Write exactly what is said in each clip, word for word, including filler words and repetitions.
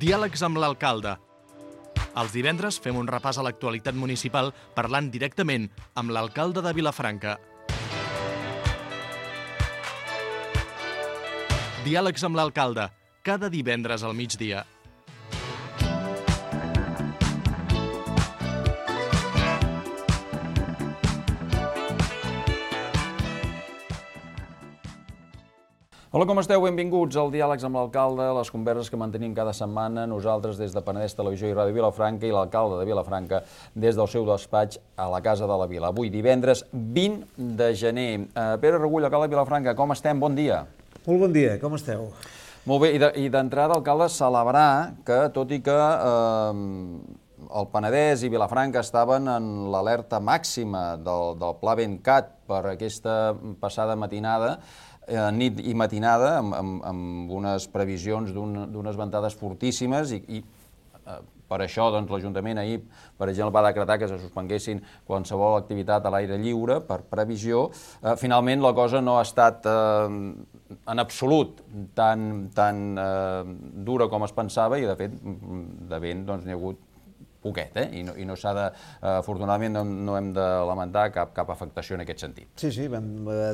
Diàlegs amb l'alcalde. Els divendres fem un repàs a l'actualitat municipal parlant directament amb l'alcalde de Vilafranca. Diàlegs amb l'alcalde, cada divendres al migdia. Hola, com esteu? Benvinguts al Diàlegs amb l'alcalde, les converses que mantenim cada setmana, nosaltres des de Penedès Televisió i Ràdio Vilafranca i l'alcalde de Vilafranca des del seu despatx a la Casa de la Vila. Avui, divendres vint de gener. Uh, Pere Regull, alcalde de Vilafranca, com estem? Bon dia. Molt bon dia, com esteu? Molt bé, i d'entrada, alcalde, celebrar que, tot i que eh, el Penedès i Vilafranca estaven en l'alerta màxima del, del Pla Ventcat per aquesta passada matinada, Eh, nit i matinada, amb, amb, amb unes previsions d'unes ventades fortíssimes i, i eh, per això doncs, l'Ajuntament ahir, per exemple, va decretar que se suspenguessin qualsevol activitat a l'aire lliure per previsió. Eh, finalment, la cosa no ha estat eh, en absolut tan, tan eh, dura com es pensava i, de fet, de vent doncs, n'hi ha hagut poquet, eh? I no, i no s'ha de... Uh, afortunadament no, no hem de lamentar cap, cap afectació en aquest sentit. Sí, sí, vam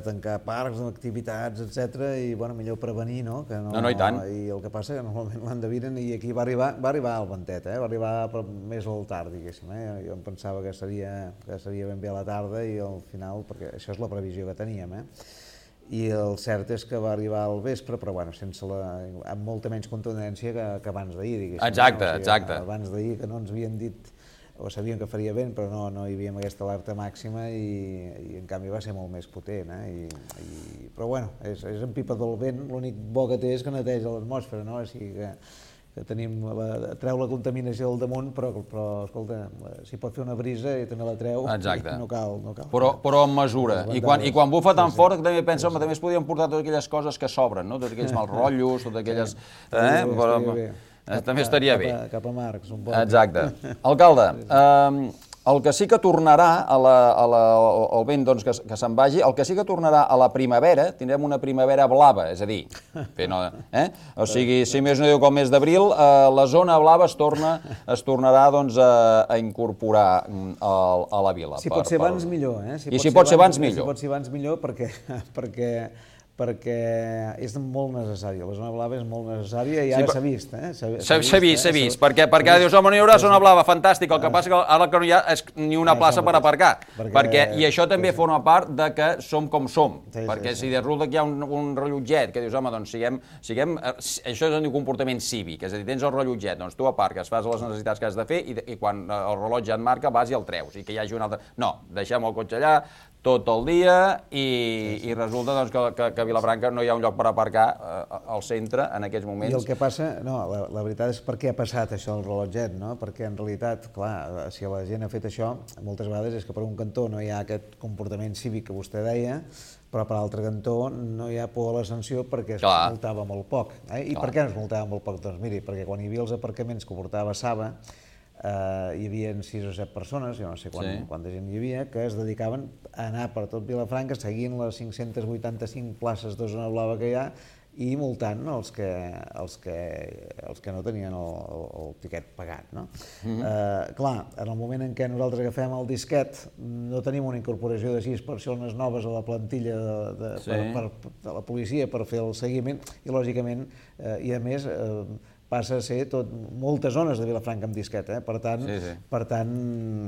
tancar parcs, activitats, etcètera, i, bueno, millor prevenir, no? Que no, no, no, i tant. I el que passa que normalment l'endevinen i aquí va arribar, va arribar el ventet, eh? Va arribar més al tard, diguéssim, eh? Jo em pensava que seria, que seria ben bé a la tarda i al final, perquè això és la previsió que teníem, eh? I el cert és que va arribar al vespre, però bueno, sense la, amb molta menys contundència que, que abans d'ahir, diguéssim. Exacte, no? O sigui, exacte. Abans d'ahir que no ens havien dit, o sabíem que faria vent, però no, no hi havia aquesta alerta màxima i, i en canvi va ser molt més potent, eh? I, i, però bueno, és, és en pipa del vent, l'únic bo que té és que neteja l'atmosfera, no? O sigui que, que tenim, la, treu la contaminació del damunt, però, però escolta, s'hi pot fer una brisa i també la treu. Exacte. I no cal, no cal. Però, però amb mesura. I quan, i quan bufa tan fort, també penso, home, també es podien portar totes aquelles coses que sobren, no? Tots aquells mals rotllos, totes aquelles... Eh? Però, també estaria bé. Cap a Marcs, un poc. Exacte. Alcalde, eh, el que sí que tornarà a la, a la, al vent doncs, que, que se'n vagi, el que sí que tornarà a la primavera, tindrem una primavera blava, és a dir, fent, eh? O sigui, si més no diu com mes d'abril, eh, la zona blava es, torna, es tornarà doncs, a, a incorporar a, a la vila. Si pot ser abans, millor. Eh? I si pot ser abans, millor. Si pot ser abans, millor, perquè... perquè perquè és molt necessària, la zona blava és molt necessària i ara s'ha vist, eh? S'ha vist, s'ha vist, perquè ara dius, home, no hi haurà zona blava, fantàstic, el que passa que ara que no hi ha és ni una plaça per aparcar, i això també forma part de que som com som, perquè si resulta que hi ha un rellotget que dius, home, doncs siguem, això és un comportament cívic, és a dir, tens el rellotget, doncs tu aparques, fas les necessitats que has de fer i quan el rellotge et marca vas i el treus, i que hi hagi un altre... No, deixem el cotxe allà tot el dia i resulta doncs que Vilafranca no hi ha un lloc per aparcar al centre en aquests moments. I el que passa, no, la, la veritat és per què ha passat això el rellotget, no? Perquè en realitat, clar, si la gent ha fet això, moltes vegades és que per un cantó no hi ha aquest comportament cívic que vostè deia, però per l'altre cantó no hi ha por a la sanció perquè es multava molt poc. Eh? I per què no es multava molt poc? Doncs miri, perquè quan hi havia els aparcaments que portava Saba, Uh, hi havia sis o set persones, jo no sé quant, sí. quanta gent hi havia, que es dedicaven a anar per tot Vilafranca seguint les cinc-centes vuitanta-cinc places de zona blava que hi ha i multant els que, els que, els que no tenien el, el, el tiquet pagat. No? Mm-hmm. uh, clar, en el moment en què nosaltres agafem el disquet no tenim una incorporació de sis persones noves a la plantilla de, de, sí. per, per, de la policia per fer el seguiment i lògicament, uh, i a més, uh, passa a ser tot, moltes zones de Vilafranca amb disquet, eh? per tant, sí, sí. per tant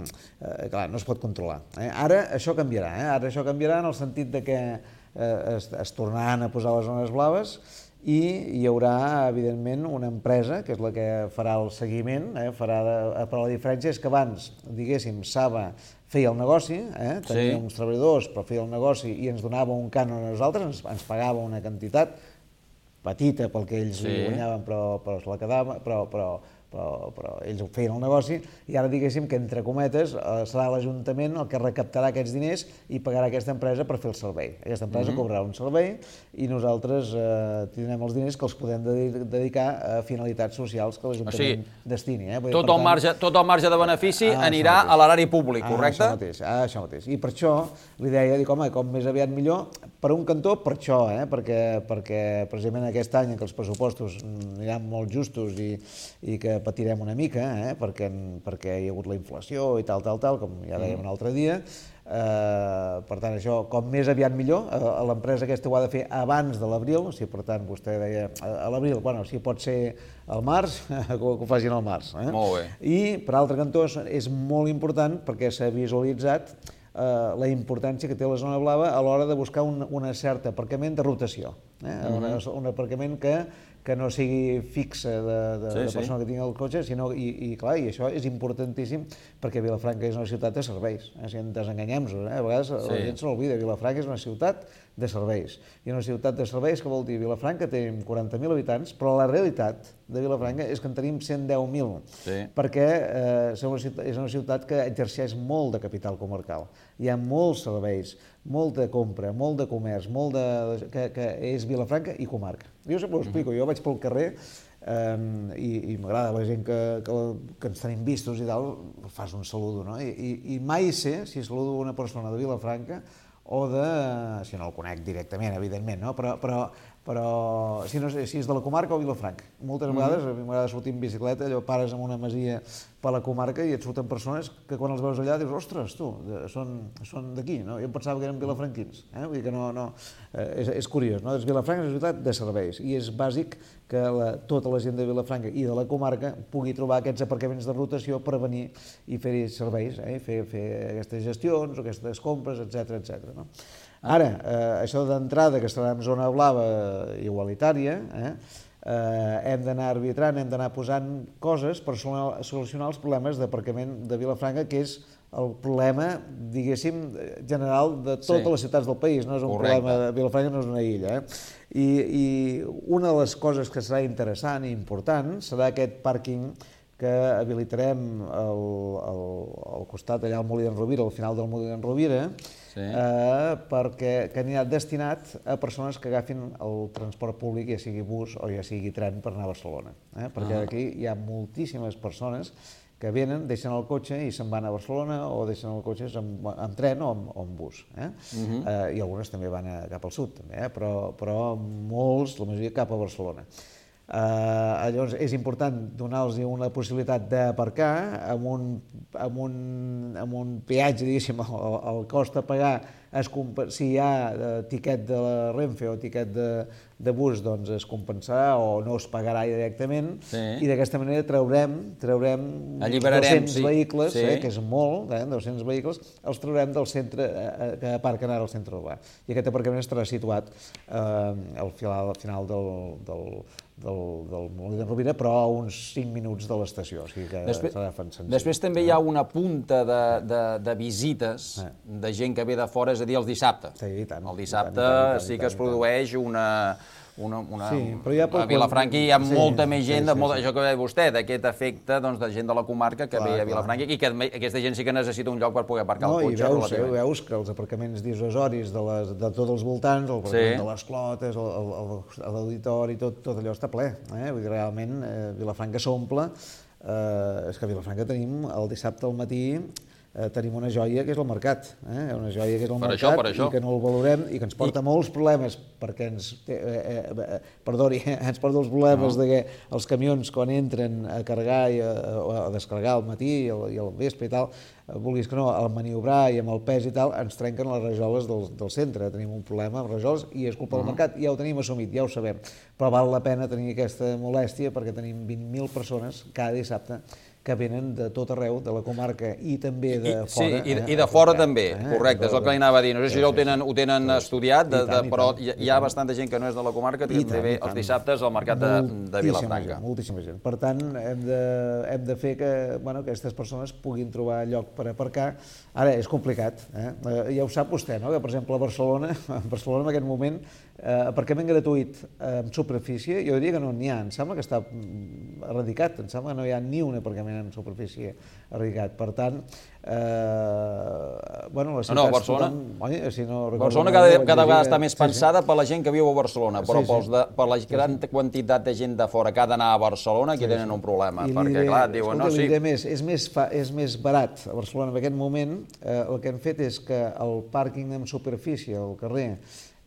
eh, clar, no es pot controlar. Eh? Ara això canviarà, eh? ara això canviarà en el sentit de que eh, es, es tornaran a posar les zones blaves i hi haurà, evidentment, una empresa, que és la que farà el seguiment, eh? farà de, però la diferència és que abans, diguéssim, Saba feia el negoci, eh? tenia sí. uns treballadors, però feia el negoci i ens donava un cànon a nosaltres, ens, ens pagava una quantitat petita pel que ells sí. guanyaven, però, però es la quedava, però, però, però, però ells feien el negoci i ara diguéssim que, entre cometes, serà l'Ajuntament el que recaptarà aquests diners i pagarà aquesta empresa per fer el servei. Aquesta empresa mm-hmm. cobrarà un servei i nosaltres eh, tindrem els diners que els podem dedicar a finalitats socials que l'Ajuntament o sigui, destini. Eh? Dir, tot, el tant, marge, tot el marge de benefici ah, anirà a l'erari públic, correcte? Ah, això mateix, ah, això mateix. I per això li deia, dic, home, com més aviat millor, per un cantó, per això, eh? perquè, perquè precisament aquest any en què els pressupostos aniran molt justos i, i que patirem una mica, eh? perquè, perquè hi ha hagut la inflació i tal, tal, tal, com ja dèiem mm. un altre dia. Eh, per tant, això, com més aviat millor, eh, l'empresa aquesta ho ha de fer abans de l'abril, o sigui, per tant, vostè deia a l'abril, bueno, si pot ser al març, que ho facin al març. Eh? Molt bé. I, per altre cantó, és molt important perquè s'ha visualitzat eh, la importància que té la zona blava a l'hora de buscar un, una certa aparcament de rotació. Eh? Mm-hmm. un, un aparcament que que no sigui fixa de, de, sí, de persona sí. que tingui el cotxe, sinó, i, i clar, i això és importantíssim perquè Vilafranca és una ciutat de serveis, eh? Si ens enganyem-nos, eh? A vegades sí. la gent se l'olvida, Vilafranca és una ciutat de serveis, i una ciutat de serveis que vol dir Vilafranca tenim quaranta mil habitants, però la realitat de Vilafranca és que en tenim cent deu mil, sí. perquè eh, és, una ciutat, és una ciutat que exerceix molt de capital comarcal, hi ha molts serveis, molta compra, molt de comerç, molt de, que, que és Vilafranca i comarca. Jo sempre ho explico, jo vaig pel carrer eh, i, i m'agrada la gent que, que, que ens tenim vistos i tal, fas un saludo, no? I, i, i mai sé si saludo una persona de Vilafranca o de... si no el conec directament, evidentment, no? Però, però, però si, no, si és de la comarca o Vilafranca. Moltes vegades, a mi m'agrada sortir en bicicleta, allò pares en una masia per la comarca i et surten persones que quan els veus allà dius, ostres, tu, són, són d'aquí, no? Jo em pensava que eren vilafranquins, eh? Vull dir que no... no eh, és, és curiós, no? Vilafranca és una ciutat de serveis i és bàsic que la, tota la gent de Vilafranca i de la comarca pugui trobar aquests aparcaments de rotació per venir i fer serveis, eh? fer, fer aquestes gestions o aquestes compres, etcètera, etcètera. No? Ara, eh, això d'entrada, que estarà en zona blava igualitària, eh? Eh, hem d'anar arbitrant, hem d'anar posant coses per solucionar els problemes d'aparcament de Vilafranca, que és el problema, diguéssim, general de totes sí. les ciutats del país, no és un Correcte. problema de Vilafranca, no és una illa. Eh? I, I una de les coses que serà interessant i important serà aquest pàrquing que habilitarem al, al, al costat, allà al Molí d'en Rovira, al final del Molí d'en Rovira, sí. eh, perquè que anirà destinat a persones que agafin el transport públic, ja sigui bus o ja sigui tren, per anar a Barcelona. Eh? Perquè ah. aquí hi ha moltíssimes persones que venen, deixen el cotxe i se'n van a Barcelona o deixen el cotxe amb, amb tren o amb, o amb bus. Eh? Uh-huh. eh, I algunes també van a, cap al sud, també, eh? però, però molts, la majoria, cap a Barcelona. Uh, llavors és important donar-los una possibilitat d'aparcar amb un, amb un, amb un peatge, diguéssim, el, el cost a pagar, es, si hi ha tiquet de la Renfe o tiquet de, de bus, doncs es compensarà o no es pagarà directament, sí. i d'aquesta manera traurem, traurem dos-cents sí. vehicles, sí. eh, que és molt, eh, dos-cents vehicles, els traurem del centre, eh, que aparquen ara al centre urbà. I aquest aparcament estarà situat eh, al final, al final del, del del, del Molí d'en Rovira, però a uns cinc minuts de l'estació, o sigui que després, serà senzill. Després també hi ha una punta de, de, de visites eh. de gent que ve de fora, és a dir, el dissabte. Sí, i tant. El dissabte i tant, i tant, i tant, sí que es produeix una... Una, una, sí, però ja a Vilafranca hi ha sí, molta més gent, sí, sí, de molta, sí. això que deia vostè, d'aquest efecte doncs, de gent de la comarca que clar, ve a Vilafranca clar. i que aquesta gent sí que necessita un lloc per poder aparcar no, el cotxe. I veus, eh, veus que els aparcaments dissuasoris de, les, de tots els voltants, el aparcament sí. de les Clotes, l'auditori, tot, tot allò està ple. Eh? Vull dir, realment, eh, Vilafranca s'omple. Eh, és que a Vilafranca tenim el dissabte al matí Eh, tenim una joia que és el mercat, eh? una joia que és el per mercat això, això. i que no el valorem i que ens porta I... molts problemes perquè ens, eh, eh, eh, perdoni, eh, ens porta els problemes no. de que els camions quan entren a carregar i a, a descarregar al matí i al, i al vespre i tal, eh, vulguis que no, al maniobrar i amb el pes i tal, ens trenquen les rajoles del, del centre, tenim un problema amb rajoles i és culpa uh -huh. del mercat, ja ho tenim assumit, ja ho sabem, però val la pena tenir aquesta molèstia perquè tenim vint mil persones cada dissabte que venen de tot arreu, de la comarca i també de I, fora. Sí, i, eh, i de fora també, eh, correcte, és el que li anava a dir. No sé si sí, ja ho tenen, ho tenen sí, estudiat, de, de, però hi, hi ha bastanta gent que no és de la comarca que també ve els dissabtes al mercat de, de Vilafranca. Gent, moltíssima gent. Per tant, hem de, hem de fer que bueno, aquestes persones puguin trobar lloc per aparcar. Ara, és complicat, eh? Ja ho sap vostè, no? Que, per exemple, a Barcelona, a Barcelona en aquest moment aparcament gratuït en superfície, jo diria que no n'hi ha, em sembla que està erradicat, em sembla que no hi ha ni un aparcament en superfície erradicat. Per tant, bueno, les ciutats... No, no, Barcelona, si no Barcelona cada, cada vegada està més pensada per la gent que viu a Barcelona, però per la gran quantitat de gent de fora que ha d'anar a Barcelona, aquí tenen un problema, perquè clar, diuen, no, sí... És més barat a Barcelona en aquest moment, el que han fet és que el pàrquing en superfície al carrer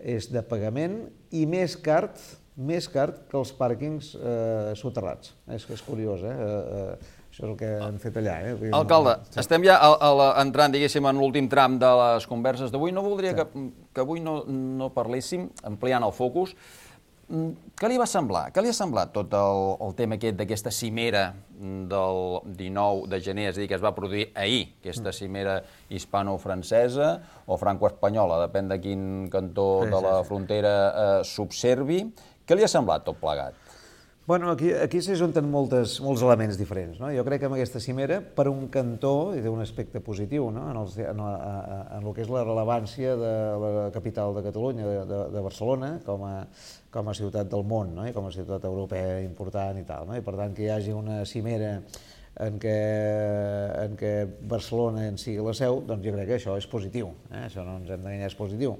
és de pagament i més car, més car que els pàrquings soterrats. És curiós, eh? Això és el que han fet allà. Alcalde, estem ja entrant, diguéssim, en l'últim tram de les converses d'avui. No voldria que avui no parléssim, ampliant el focus. Què li va semblar? Què li ha semblat tot el tema aquest d'aquesta cimera del dinou de gener, és a dir, que es va produir ahir, aquesta cimera hispano-francesa o franco-espanyola, depèn de quin cantó de la frontera s'observi. Què li ha semblat tot plegat? Bueno, aquí s'ajunten molts elements diferents. Jo crec que amb aquesta cimera, per un cantó, hi té un aspecte positiu en el que és la rellevància de la capital de Catalunya, de Barcelona, com a ciutat del món, com a ciutat europea important i tal. I per tant, que hi hagi una cimera en què Barcelona en sigui la seu, doncs jo crec que això és positiu. Això no ens hem d'enganyar, és positiu.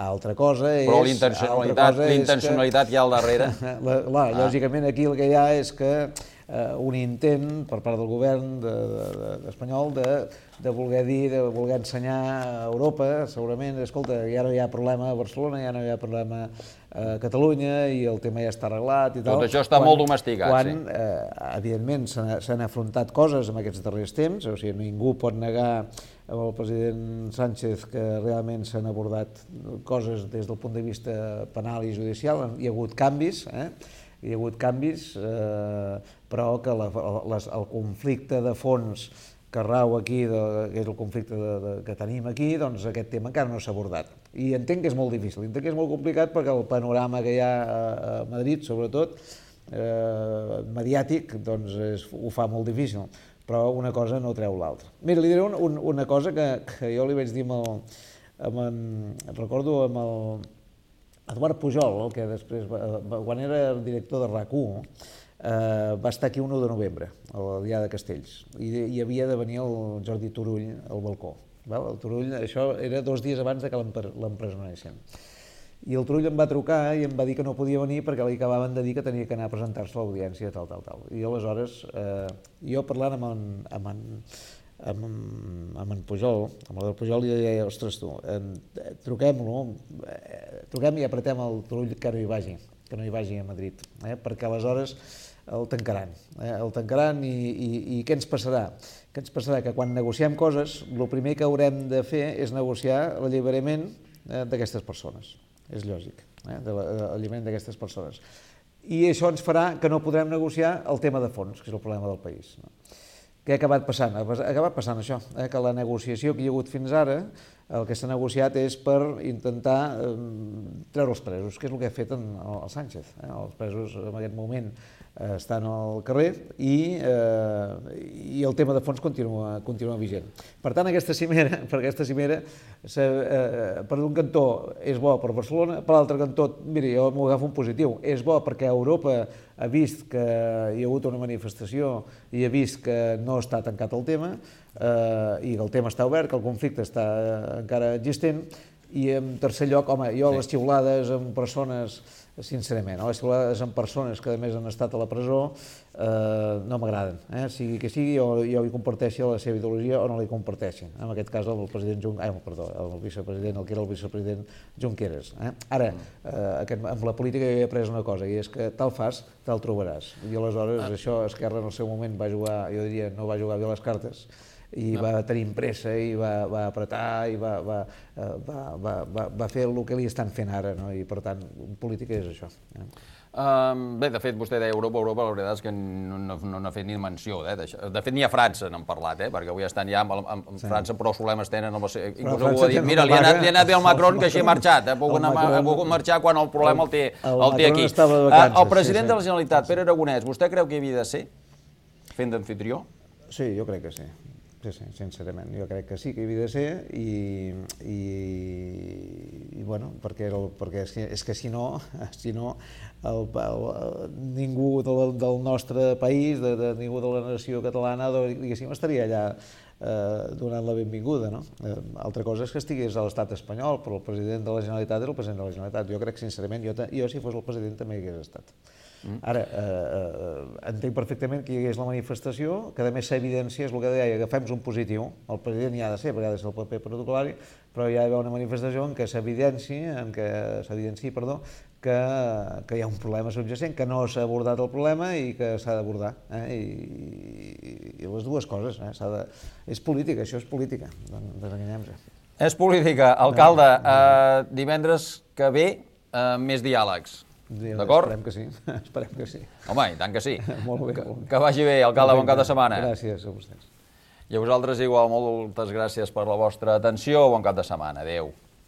Altra cosa és... Però l'intencionalitat hi ha al darrere. Lògicament, aquí el que hi ha és que un intent per part del govern espanyol de voler dir, de voler ensenyar a Europa, segurament, escolta, ja no hi ha problema a Barcelona, ja no hi ha problema a Catalunya i el tema ja està arreglat i tal. Tot això està molt domesticat, sí. Quan, evidentment, s'han afrontat coses en aquests darrers temps, o sigui, ningú pot negar amb el president Sánchez que realment s'han abordat coses des del punt de vista penal i judicial, hi ha hagut canvis, hi ha hagut canvis, però que el conflicte de fons que rau aquí, que és el conflicte que tenim aquí, doncs aquest tema encara no s'ha abordat. I entenc que és molt difícil, entenc que és molt complicat perquè el panorama que hi ha a Madrid, sobretot, mediàtic, doncs ho fa molt difícil. Però una cosa no treu l'altra. Mira, li diré una cosa que jo li vaig dir amb el... recordo amb el Eduard Pujol, que després, quan era director de RAC u, va estar aquí el u de novembre, al Dià de Castells, i hi havia de venir el Jordi Turull al balcó. El Turull, això era dos dies abans que l'empresonessin. I el Turull em va trucar i em va dir que no podia venir perquè li acabaven de dir que tenia que anar a presentar-se a l'audiència, tal, tal, tal. I aleshores, jo parlant amb en Pujol, amb el Pujol, li deia, ostres tu, truquem-lo, truquem i apretem el Turull que no hi vagi, que no hi vagi a Madrid, perquè aleshores el tancaran, el tancaran i què ens passarà? Què ens passarà? Que quan negociem coses, el primer que haurem de fer és negociar l'alliberament d'aquestes persones. És lògic, l'alliberament d'aquestes persones. I això ens farà que no podrem negociar el tema de fons, que és el problema del país. Què ha acabat passant? Ha acabat passant això, que la negociació que hi ha hagut fins ara, el que s'ha negociat és per intentar treure els presos, que és el que ha fet el Sánchez. Els presos en aquest moment estan al carrer i el tema de fons continua vigent. Per tant, aquesta cimera, per aquesta cimera, per un cantó és bo per Barcelona, per l'altre cantó, miri, jo m'ho agafo un positiu, és bo perquè Europa ha vist que hi ha hagut una manifestació i ha vist que no està tancat el tema i que el tema està obert, que el conflicte està encara existent. I en tercer lloc, home, jo les xiulades amb persones, sincerament, les xiulades amb persones que a més han estat a la presó no m'agraden. Sigui que sigui, jo li comparteixi la seva ideologia o no li comparteixi. En aquest cas el president Junqueras, perdó, el vicepresident, el que era el vicepresident Junqueras. Ara, amb la política jo he après una cosa, i és que tal fas, tal trobaràs. I aleshores això Esquerra en el seu moment va jugar, jo diria, no va jugar bé les cartes, i va tenir pressa i va apretar i va fer el que li estan fent ara, i per tant, política és això. Bé, de fet, vostè deia Europa, Europa, la veritat és que no n'ha fet ni menció. De fet, ni a França n'han parlat, perquè avui estan ja amb França, però els problemes tenen... Inclús algú ha dit, mira, li ha anat bé al Macron, que així ha marxat, ha pogut marxar quan el problema el té aquí. El president de la Generalitat, Pere Aragonès, vostè creu que hi havia de ser, fent d'amfitrió? Sí, jo crec que sí. sí, sí, sincerament. Jo crec que sí que hi havia de ser i, i, i bueno, perquè, el, perquè és, que, és que si no, si no el, el, ningú del, del nostre país, de, de ningú de la nació catalana, diguéssim, estaria allà eh, donant la benvinguda, no? Eh, altra cosa és que estigués a l'estat espanyol, però el president de la Generalitat era el president de la Generalitat. Jo crec, sincerament, jo, jo si fos el president també hi hagués estat. Ara, eh, eh, entenc perfectament que hi hagués la manifestació, que a més s'evidencia, és el que deia, agafem un positiu, el president hi ha de ser, perquè ha de ser el paper protocolari, però hi ha d'haver una manifestació en què s'evidenci, en què s'evidenci, perdó, que, que hi ha un problema subjacent, que no s'ha abordat el problema i que s'ha d'abordar. Eh? I, i, I les dues coses, eh? De... és política, això és política, desenganyem-nos. És política. Alcalde, eh, divendres que ve, eh, més diàlegs. D'acord? Esperem que sí, esperem que sí. Home, i tant que sí. Molt bé. Que, que vagi bé, alcalde, bon cap de setmana. Gràcies a vostès. I a vosaltres igual, moltes gràcies per la vostra atenció, bon cap de setmana. Adéu.